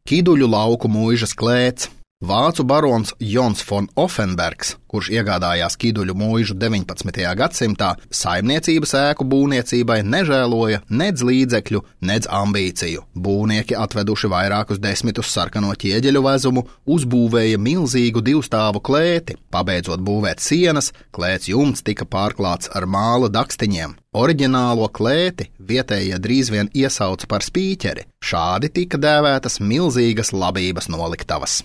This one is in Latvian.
Kiduļu lauku mūžas klēts. Vācu barons Jons von Offenbergs, kurš iegādājās Kiduļu mūžu 19. gadsimtā, saimniecības ēku būvniecībai nežēloja nedz līdzekļu, nedz ambīciju. Būvnieki atveduši vairākus desmitus sarkano ķieģeļu vezumu, uzbūvēja milzīgu divstāvu klēti. Pabeidzot būvēt sienas, klēts jumts tika pārklāts ar māla dakstiņiem. Oriģinālo klēti vietējie drīz vien iesauca par spīķeri. Šādi tika dēvētas milzīgas labības noliktavas.